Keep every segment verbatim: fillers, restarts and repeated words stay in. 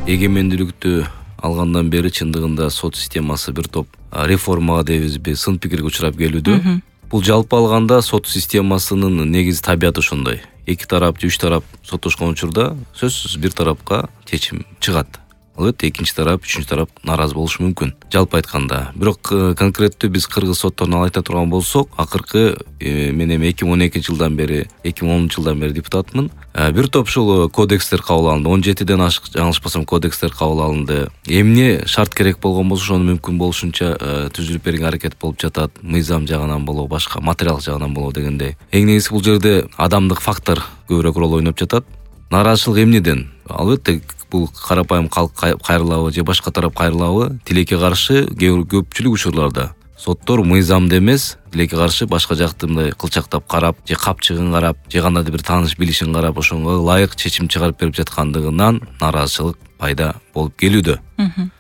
эгемендүүлүктү алгандан бери чындыгында сот системасы бир топ реформага дейбизби, сын пикирге учурап келүүдө. Бул жалпы алганда сот системасынын негизи табияты ошондой. Эки тарап же үч тарап соттошкон учурда сөзсүз бир тарапка чечим чыгат. Албетте экинчи тарап, үчүнчү тарап нааразы болушу мүмкүн. Жалпы айтканда, бирок конкреттүү биз кыргыз сотторуна айта турган болсок, акыркы мен эми эки миң он экинчи жылдан бери, эки миң онунчу жылдан бери депутатмын. Бир топ ушул кодекстер кабыл алынды. он жетиден ашык жаңылышпасам кодекстер кабыл алынды. Эмне шарт керек болгон болсо ошону мүмкүн болушунча түзүлүп берген аракет болуп жатат. Мыйзам жагынан болобу, башка материал жагынан болобу дегендей. Эң негизги бул жерде адамдык фактор көбүрөөк роль ойноп жатат. Нааразычылык эмнеден? Албетте бул карапайым калк кайрылабы же башка тарап кайрылабы тилекке каршы көпчүлүк учурларда соттор мыйзамды эмес, тилекке каршы башка жакты мындай кылчактап карап, же капчыгын карап, же кандайдыр бир тааныш билишин карап, ошого ылайык чечим чыгарып берип жаткандыгынан нааразычылык пайда болуп келүүдө.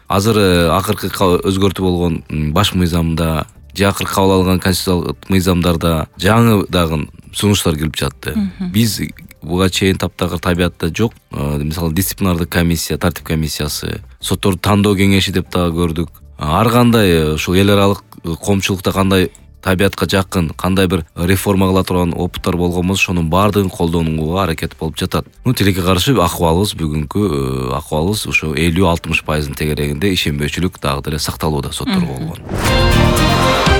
Азыр акыркы өзгөртүү болгон баш мыйзамда же акыркы кабыл алган конституциялык мыйзамдарда жаңы дагы сунуштар келип жатты. Биз буга чейин таптакыр табиятта жок. Мисалы дисциплинардык комиссия, тартип комиссиясы, сотторду тандоо кеңеши деп дагы көрдүк. Ар кандай ушул эл аралык коомчулукта кандай табиятка жакын, кандай бир реформа кыла турган опыттар болгон болсо, ошонун баардыгын колдонууга аракет болуп жатат. Ну, тилекке каршы акыбалыбыз бүгүнкү акыбалыбыз ошо элүү алтымыш пайыздын тегерегинде ишенбөөчүлүк дагы деле сакталууда сотторго болгон.